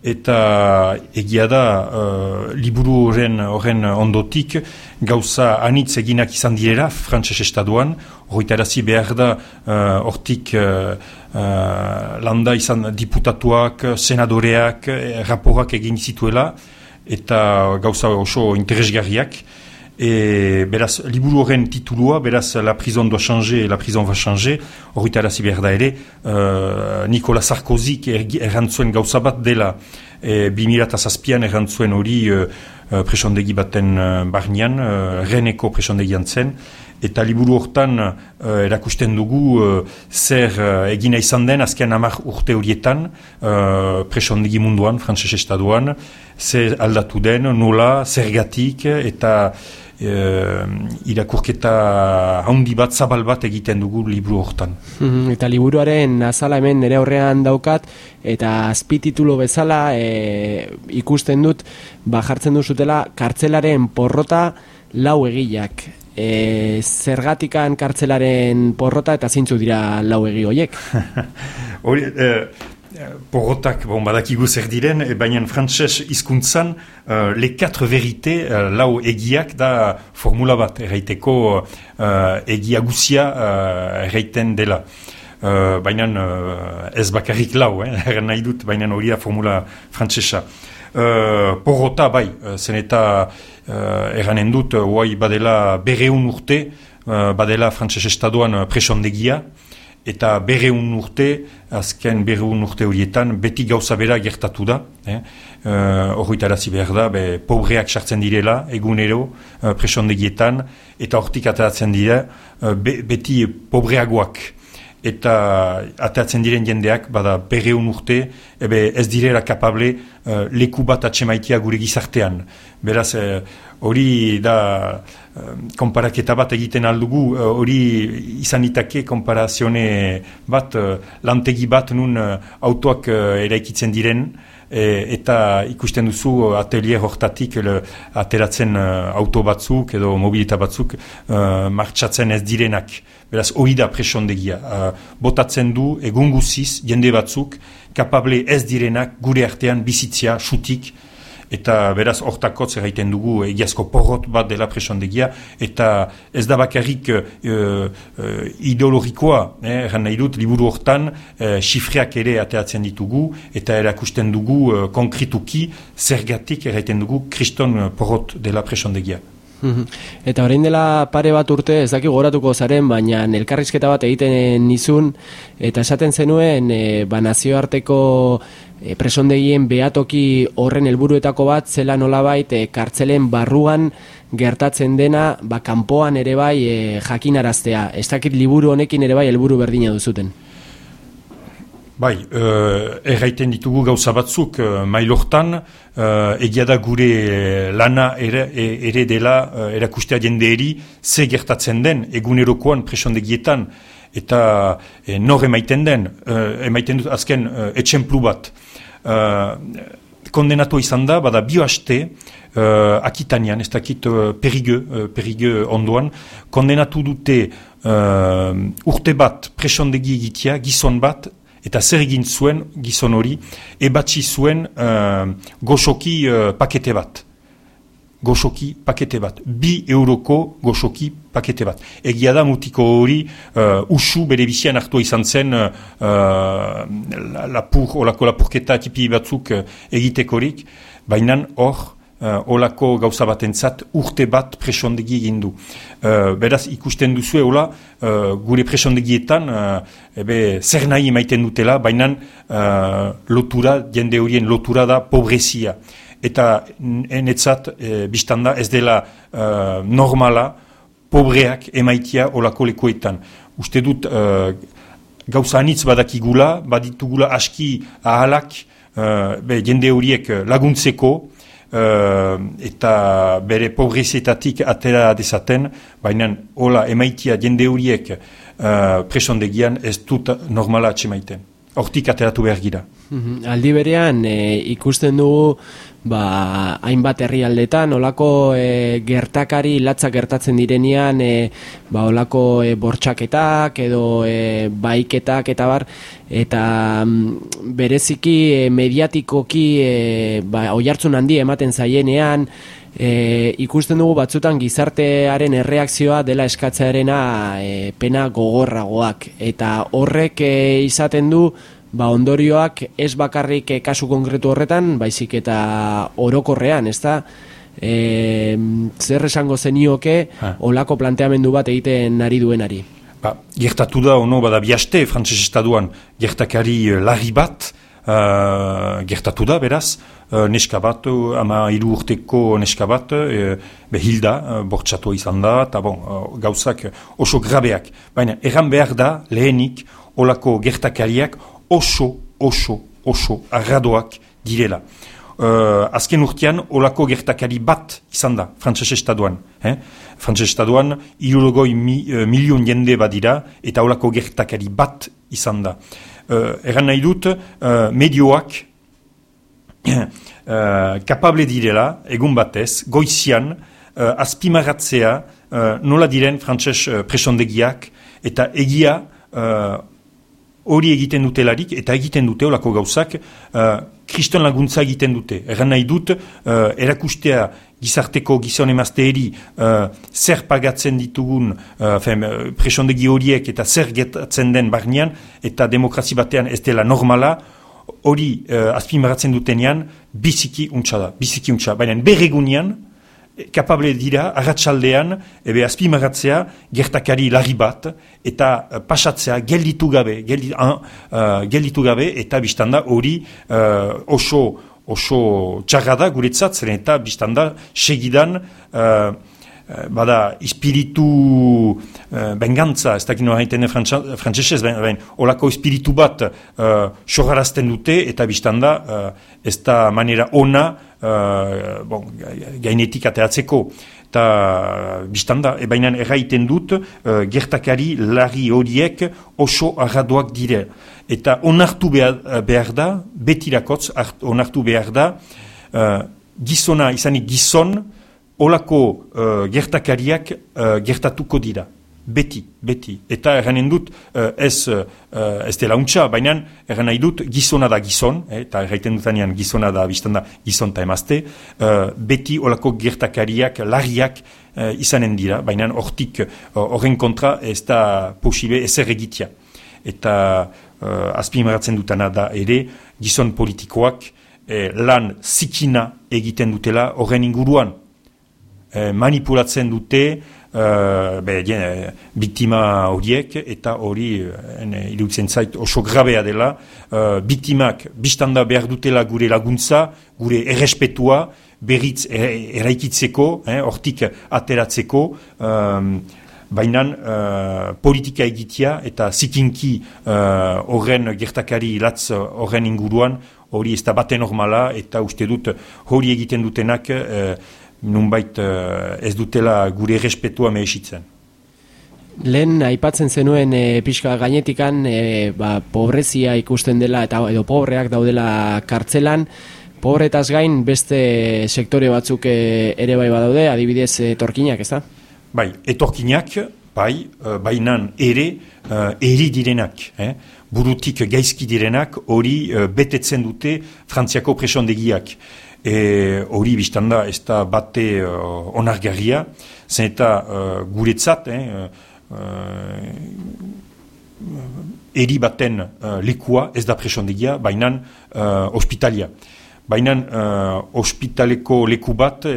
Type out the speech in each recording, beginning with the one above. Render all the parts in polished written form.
eta egia da liburu horren ondotik gauza anitz eginak izan direla frantses estatuan, horretarazi behar da hortik landa izan diputatuak, senadoreak, raporak egin zituela, eta gauza oso interesgarriak. Beraz, liburu horren titulua, beraz, La prison doit changer, la prison va changer, horretarazi behar da ere, Nicolas Sarkozyk errantzuen gauza bat dela, 2007an errantzuen hori presondegi baten barnean, Reneko presondegian zen, eta liburu hortan erakusten dugu zer egina izan den azken 10 urte horietan presondegi munduan, frantses estatuan, zer aldatu den, nola, zergatik, eta irakurketa handi bat, zabal bat egiten dugu liburu hortan. Eta liburuaren azala hemen nire aurrean daukat, eta azpititulo bezala ikusten dut, jartzen duzutela kartzelaren porrota lau egileak. Zergatikan kartzelaren porrota eta zintzu dira lau egi horiek? Porrotak, badakigu zer diren, baina frantses hizkuntzan les 4 vérités, lau egiak da formula bat, erraiteko egia guzia erraiten dela. Baina ez bakarrik lau, erran nahi dut, baina hori da formula frantsesa. Porrota bai, zen eta erranen dut, badela 200 urte, badela frantses estatuan presondegia, eta 200 urte, azken 200 urte horietan, beti gauza bera gertatu da. Horretarazi behar da, pobreak sartzen direla, egunero, presondegietan, eta hortik ateratzen dira, beti pobreagoak. Eta ateratzen diren jendeak, bada 200 urte, ez direla kapable leku bat atsemaitia gure gizartean. Beraz, hori da konparaketa bat egiten aldugu, hori izan itake konparazione bat, lantegi bat nun autoak eraikitzen diren, eta ikusten duzu atelier hortatik ateratzen auto batzuk edo mobilita batzuk martxatzen ez direnak. Beraz, hori da presondegia. Botatzen du egun guziz jende batzuk kapable ez direnak gure artean bizitzia, xutik, eta beraz hortakotz erraiten dugu egiazko porrot bat dela presondegia, eta ez da bakarrik ideologikoa, erran nahi dut, liburu hortan xifreak ere ateratzen ditugu, eta erakusten dugu konkrituki zergatik erraiten dugu kriston porrot dela presondegia. Eta orain dela pare bat urte, ez daki goratuko zaren, baina elkarrizketa bat egiten nizun, eta esaten zenuen nazioarteko presondegien behatoki horren helburuetako bat, zela nolabait kartzelen barruan gertatzen dena, kanpoan ere bai jakinaraztea. Ez dakit liburu honekin ere bai helburu berdina duzuten. Bai, erraiten ditugu gauza batzuk mailortan, egia da gure lana ere dela erakustea jendeeri ze gertatzen den egunerokoan presondegietan, eta nor emaiten den, emaiten dut azken etxemplu bat. Kondenatu izan da, bada bioaste, Akitanian, ez dakit Perigueux ondoan, kondenatu dute urte bat presondegi egitea, gizon bat, eta zer egin zuen gizon hori, ebatzi zuen goxoki pakete bat. Goxoki pakete bat. 2 euroko goxoki pakete bat. Egia da mutiko hori usu bere bizian hartua izan zen olako lapurketa tipi batzuk egitekorik, baina hor olako gauza batentzat urte bat presondegi egin du. Beraz, ikusten duzue hola, gure presondegietan zer nahi emaiten dutela, baina lotura, jende horien lotura da pobrezia. Eta enetzat, biztanda, ez dela normala pobreak emaitia olako lekuetan. Uste dut, gauza anitz badakigula, baditugula aski ahalak, jende horiek laguntzeko, eta bere pobrezietatik atera dezaten, baina hola emaitia jende horiek presondegian ez dut normala atxemaiten. Hortik ateratu behar gira. Aldi berean ikusten dugu hainbat herrialdetan olako gertakari latzak gertatzen direnean olako bortxaketak edo baiketak eta bar, eta bereziki mediatikoki oihartzun handi ematen zaienean ikusten dugu batzutan gizartearen erreakzioa dela eskatzearena pena gogorragoak, eta horrek izaten du ondorioak ez bakarrik kasu konkretu horretan, baizik eta orokorrean, ezta? Zer esango zenioke olako planteamendu bat egiten ari duenari? Gertatu da, bada bihaste, frantses estatuan gertakari larri bat, gertatu da, beraz, neska bat, 13 urteko neska bat, hilda, bortxatua izan da, eta gauzak oso grabeak. Baina, erran behar da, lehenik, olako gertakariak oso arradoak direla. Azken urtean, olako gertakari bat izan da, frantses estatuan. Frantses estatuan, 60 milion jende badira, eta olako gertakari bat izan da. Erran nahi dut, medioak kapable direla, egun batez, goizian, azpimarratzea nola diren frantses presondegiak, eta egia hori egiten dutelarik, eta egiten dute olako gauzak, kriston laguntza egiten dute. Erran nahi dut, erakustea gizarteko gizon emazteeri zer pagatzen ditugun presondegi horiek eta zer getatzen den barnean, eta demokrazi batean ez dela normala, hori azpimarratzen dutenean biziki untsa da, biziki untsa. Baina berregunean, kapable dira, arratsaldean, azpimarratzea gertakari larri bat, eta pasatzea gelditu gabe, eta biztanda hori oso txarra da guretzat, zeren eta biztanda segidan bada espiritu bengantza, ez dakit nola haiten frantzesez, olako espiritu bat sogarazten dute, eta biztanda ez da manera ona gainetik ateratzeko. Eta biztanda, baina erraiten dut, gertakari larri horiek oso arradoak dire. Eta onartu behar da, betirakotz onartu behar da, gizona izanik gizon, olako gertakariak gertatuko dira. Beti. Eta erranen dut, ez dela untxa, baina erran nahi dut, gizona da gizon, eta erraiten dutanean gizona da biztanda gizon eta emazte, beti olako gertakariak, larriak izanen dira, baina horren kontra ez da posible ezer egitea. Eta azpimarratzen dutana da ere, gizon politikoak lan zikina egiten dutela horren inguruan. Manipulatzen dute biktima horiek, eta hori iruditzen zait oso grabea dela. Biktimak biztanda behar dutela gure laguntza, gure errespetua, berriz eraikitzeko, hortik ateratzeko, baina politika egitea eta zikinki horren gertakari latz horren inguruan, hori ez da bate normala, eta uste dut hori egiten dutenak nunbait ez dutela gure errespetua mehesitzen. Lehen aipatzen zenuen pixka gainetikan pobrezia ikusten dela edo pobreak daudela kartzelan, pobretaz gain beste sektore batzuk ere bai badaude, adibidez etorkinak, ez da? Bai, etorkinak, bainan ere eri direnak, burutik gaizki direnak, hori betetzen dute Frantziako presondegiak. Hori biztanda ez da bate onargarria, zen eta guretzat, eri baten lekua ez da presondegia, bainan ospitalia. Bainan ospitaleko leku bat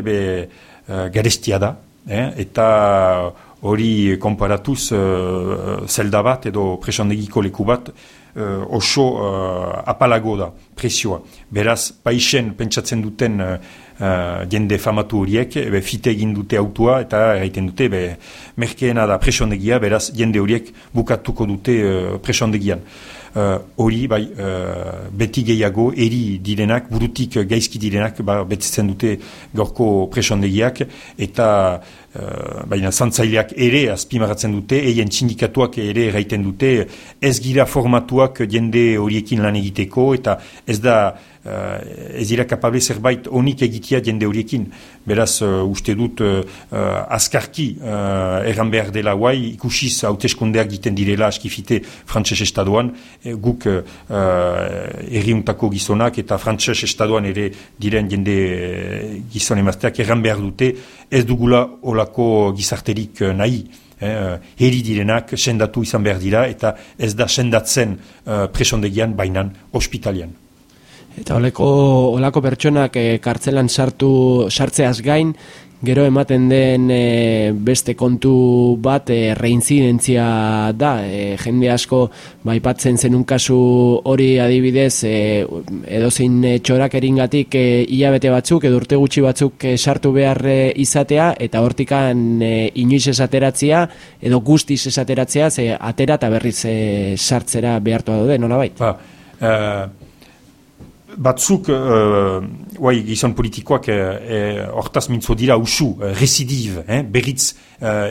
garestia da, eta hori konparatuz zelda bat edo presondegiko leku bat oso apalago da, presioa. Beraz, paisen pentsatzen duten jende famatu horiek, fite egin dute autua, eta erraiten dute, merkeena da presondegia, beraz, jende horiek bukatuko dute presondegian. hori beti gehiago eri direnak, burutik gaizki direnak betetzen dute gaurko presondegiak, eta baina zantzaileak ere azpimarratzen dute, eien sindikatuak ere erraiten dute, ez gira formatuak jende horiekin lan egiteko, eta ez dira kapable zerbait onik egitea jende horiekin. Beraz, uste dut azkarki erran behar dela guai, ikusiz hauteskundeak egiten direla askifite frantses estadoan, guk erriuntako gizonak eta frantses estadoan ere diren jende gizon emazteak erran behar dute, ez dugula olako gizarterik nahi. Heri direnak sendatu izan behar dira eta ez da sendatzen presondegian bainan ospitalian. Eta olako pertsonak kartzelan sartzeaz gain, gero ematen den beste kontu bat reinzidentzia da. Jende asko aipatzen zenun kasu hori adibidez edozein txorak eringatik hilabete batzuk edo urte gutxi batzuk sartu behar izatea eta hortikan inoiz esateratzea edo guztiz esateratzea atera eta berriz sartzera behartua daude, nolabait? Batzuk, gizon politikoak hortaz mintzo dira usu, residiv, berriz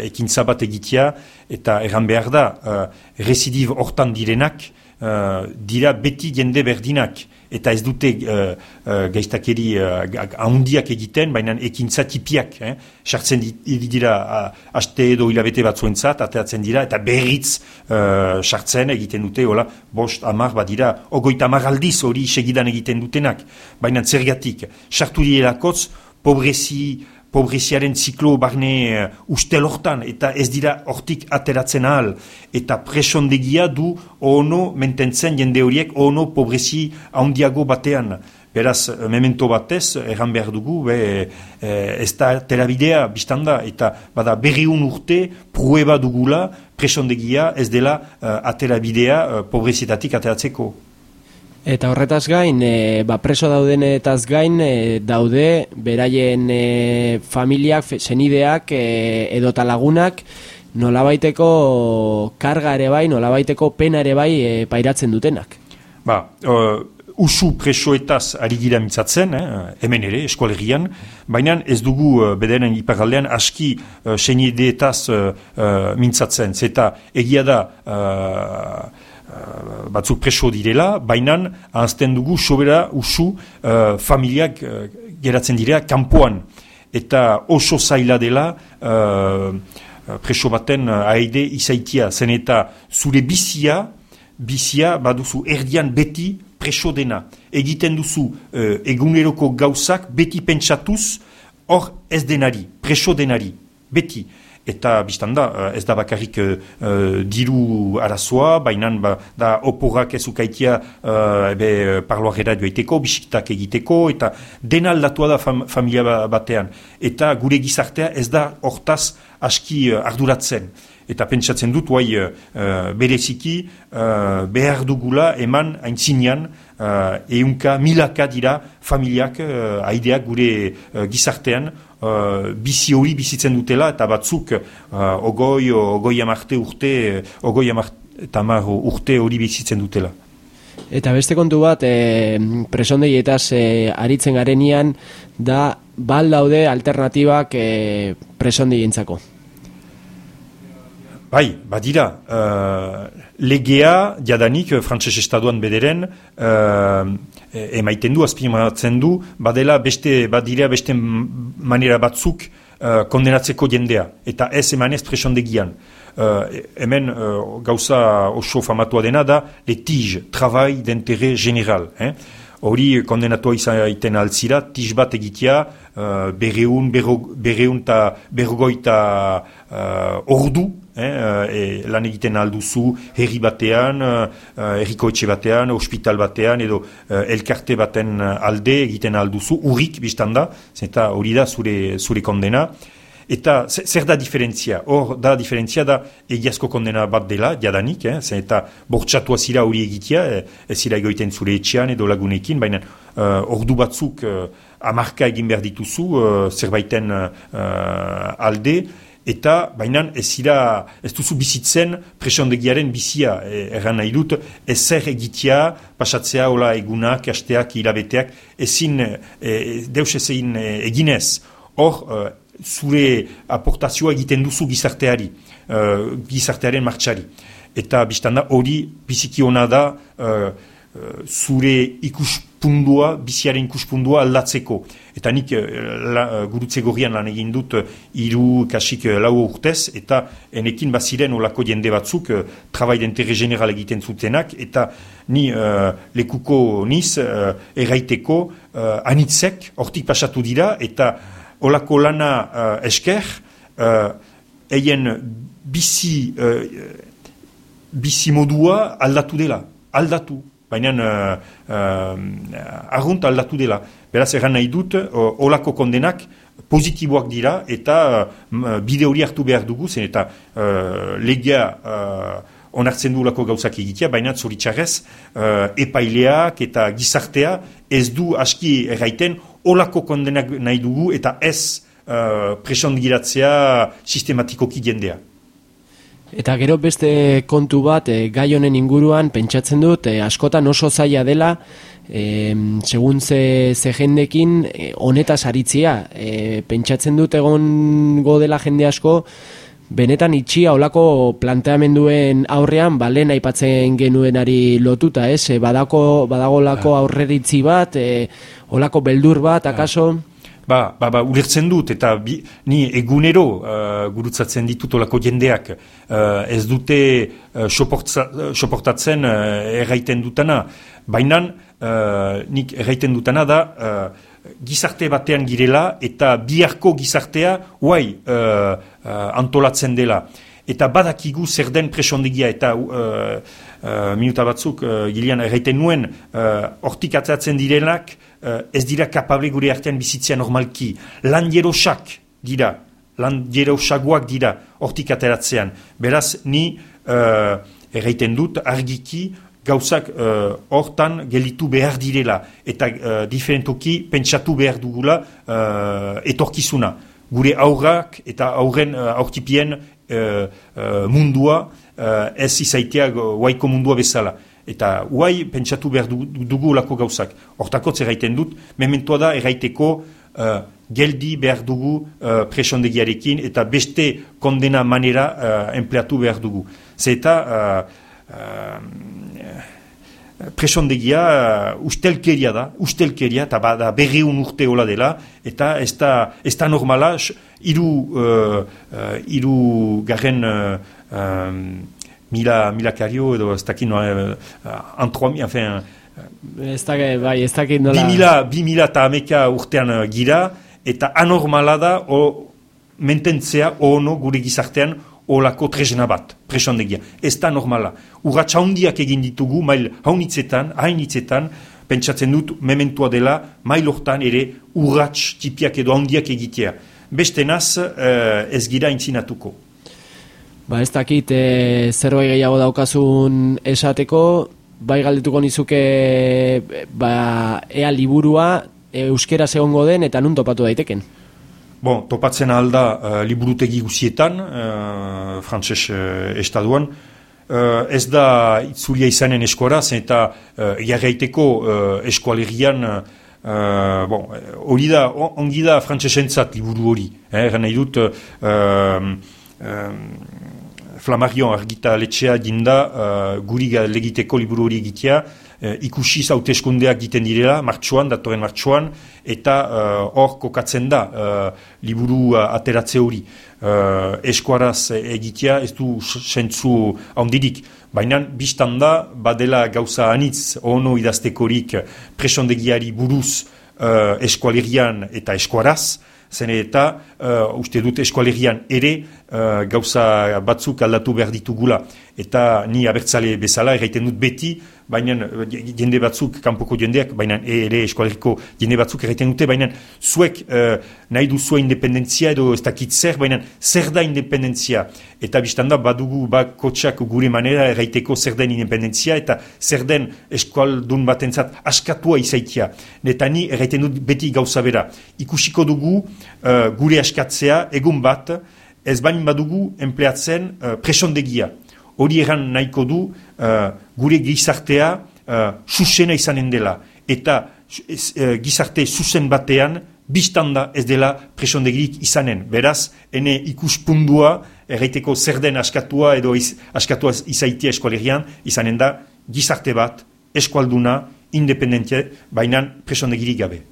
ekintza bat egitea, eta erran behar da, residiv hortan direnak, dira beti jende berdinak, eta ez dute gaiztakeri handiak egiten, baina ekintza tipiak, sartzen dira haste edo hilabete batzuentzat, ateatzen dira, eta berriz sartzen egiten dute, hola, 5-10 dira, 30 aldiz hori segidan egiten dutenak, baina zergatik, sartu direlakotz, pobreziaren ziklo barne ustel hortan, eta ez dira hortik ateratzen ahal, eta presondegia du ono mententzen jende horiek ono pobrezi handiago batean. Beraz, memento batez, erran behar dugu, ez da terabidea biztanda, eta bada 200 urte prueba dugula presondegia ez dela aterabidea pobrezietatik ateratzeko. Eta horretaz gain, preso daudenetaz gain, daude beraien familiak, senideak edota lagunak nolabaiteko karga ere bai, nolabaiteko pena ere bai pairatzen dutenak. Usu presoetaz ari gira mintzatzen, hemen ere, eskolegian, baina ez dugu bederen iparaldean aski senideetaz mintzatzen. Zeta egia da batzuk preso direla, baina ahazten dugu sobera usu familiak geratzen direa kanpoan. Eta oso zaila dela preso baten aide izaitia. Zen eta zure bizia baduzu erdian beti preso dena. Egiten duzu eguneroko gauzak beti pentsatuz hor ez denari, preso denari, beti. Eta biztanda, ez da bakarrik diru arazoa, baina da oporrak ezukaitia parloarera joaiteko, bisiktak egiteko, eta dena aldatua da familia batean. Eta gure gizartea ez da hortaz aski arduratzen. Eta pentsatzen dut, bereziki behar dugula eman aintzinean milaka dira familiak, aideak gure gizartean, bizi hori bizitzen dutela, eta batzuk ogoi amarte urte hori bizitzen dutela. Eta beste kontu bat, presondeietaz aritzen garenian, da daude alternatibak presondeientzako. Badira, legea jadanik frantses estadoan bederen emaiten du, azpimarratzen du, badira beste manera batzuk kondenatzeko jendea, eta ez emanez presondegian. Hemen gauza oso famatua dena da litige, travail d'intérêt général. Hori kondenatua izaiten altzira, tiz bat egitea, berrogoita ordu, lan egiten alduzu herri batean, herriko etxe batean, hospital batean, edo elkarte baten alde egiten alduzu, urrik biztanda, eta hori da zure kondena. Eta zer da diferentzia? Hor da diferentzia da egiazko kondena bat dela, jadanik, eta bortxatua zira hori egitea, ez zira egoiten zure etxean edo lagunekin, baina ordu batzuk amarka egin behar dituzu zerbaiten alde, eta baina ez duzu bizitzen presondegiaren bizia, erran nahi dut, ezer egitea, pasatzea, hola egunak, asteak, hilabeteak, ezin, deus ezin eginez. Hor, zure aportazioa egiten duzu gizarteari, gizartearen martxari. Eta biztanda hori biziki ona da zure ikuspundua, biziaren ikuspundua aldatzeko. Eta nik gurutze gorrian lan egin dut 3-4 urtez, eta enekin baziren olako jende batzuk travail d'intérêt général egiten zutenak, eta ni lekuko niz erraiteko anitzek hortik pasatu dira, eta olako lana esker, eien bizi modua aldatu dela, baina argunt aldatu dela. Beraz, erran nahi dut, olako kondenak positiboak dira, eta bide hori hartu behar dugu, zen eta legea onartzen du olako gauzak egitea, baina zoritxarrez, epaileak eta gizartea ez du aski erraiten olako kondenak nahi dugu, eta ez presondiratzea sistematikoki jendea. Eta gero beste kontu bat, gai honen inguruan, pentsatzen dut, askotan oso zaila dela, segun ze jendekin, honetaz aritzia. Pentsatzen dut egongo dela jende asko, benetan itxia olako planteamenduen aurrean, lehen aipatzen genuenari lotuta, badagolako aurreritzi bat, olako beldur bat, akaso? Ulertzen dut, eta ni egunero gurutzatzen ditut olako jendeak, ez dute soportatzen erraiten dutana. Baina nik erraiten dutana da gizarte batean girela eta biharko gizartea antolatzen dela. Eta badakigu zer den presondegia, eta minuta batzuk gilean erraiten nuen hortik atzatzen direnak ez dira kapable gure artean bizitzea normalki. Lan jerosak dira, lan jerosagoak dira hortik ateratzean. Beraz, ni erraiten dut argiki gauzak hortan gelitu behar direla, eta diferentoki pentsatu behar dugula etorkizuna. Gure aurrak eta aurren aurtipien mundua ez izaitea guaiko mundua bezala. Eta guai pentsatu behar dugu lako gauzak. Hortakotz erraiten dut, mementoa da erraiteko geldi behar dugu presondegiarekin, eta beste kondena manera empleatu behar dugu. Zeta presondegia ustelkeria da, eta bada 200 urte hola dela, eta ez da normala, hiru garren milakario edo ez dakit enfin... Ez dakit nola... 2000 eta ameka urtean gira, eta anormala da mententzea gure gizartean olako tresna bat, presondegia. Ez da normala. Urratxa handiak egin ditugu, mail hainitzetan, pentsatzen dut mementua dela, mail hortan ere urratx tipiak edo handiak egitea. Beste naz ez gira intzinatuko. Ez dakit zerbait gehiago daukazun esateko, bai galdetuko nizuke ea liburua euskeraz egongo den eta nun topatu daiteken? Topatzen alda liburutegi guzietan, frantses estaduan, ez da itzulia izanen eskuaraz, eta jarraiteko eskualerian hori da, ongi da frantsesentzat liburu hori. Eran nahi dut, Flammarion argitaletxea dinda guri legiteko liburu hori egitea, ikusi hauteskundeak egiten direla, datorren martxoan, eta hor kokatzen da liburu ateratze hori. Eskuaraz egitea ez du sentzu handirik, baina biztan da badela gauza anitz ono idaztekorik presondegiari buruz eskualerian eta eskuaraz, zen eta uste dut eskualerian ere gauza batzuk aldatu behar ditugula. Eta ni abertzale bezala erraiten dut beti, baina jende batzuk, kanpoko jendeak, baina ere eskualeriko jende batzuk erraiten dute, baina zuek nahi duzua independentzia edo ez dakit zer, baina zer da independentzia. Eta biztanda badugu bakotxak gure manera erraiteko zer den independentzia eta zer den eskualdun batentzat askatua izaitia. Eta ni erraiten dut beti gauza bera. Ikusiko dugu gure askatzea egun bat ez bain badugu enpleatzen presondegia. Hori eran nahiko du gure gizartea zuzena izanen dela. Eta gizarte zuzen batean biztanda ez dela presondegirik izanen. Beraz, ene ikuspundua, erraiteko zer den askatua edo askatua izaitia eskualerian, izanen da gizarte bat, eskualduna, independentia, baina presondegirik gabe.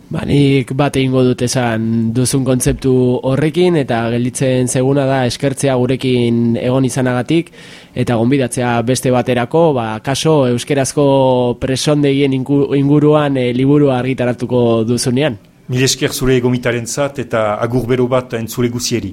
Nik bat egingo dut esan duzun kontzeptu horrekin, eta gelditzen zeguna da eskertzea gurekin egon izanagatik, eta gonbidatzea beste baterako, kaso euskerazko presondegien inguruan liburua argitaratuko duzunean. Mil esker zure gomitarentzat eta agur bero bat entzule guzieri.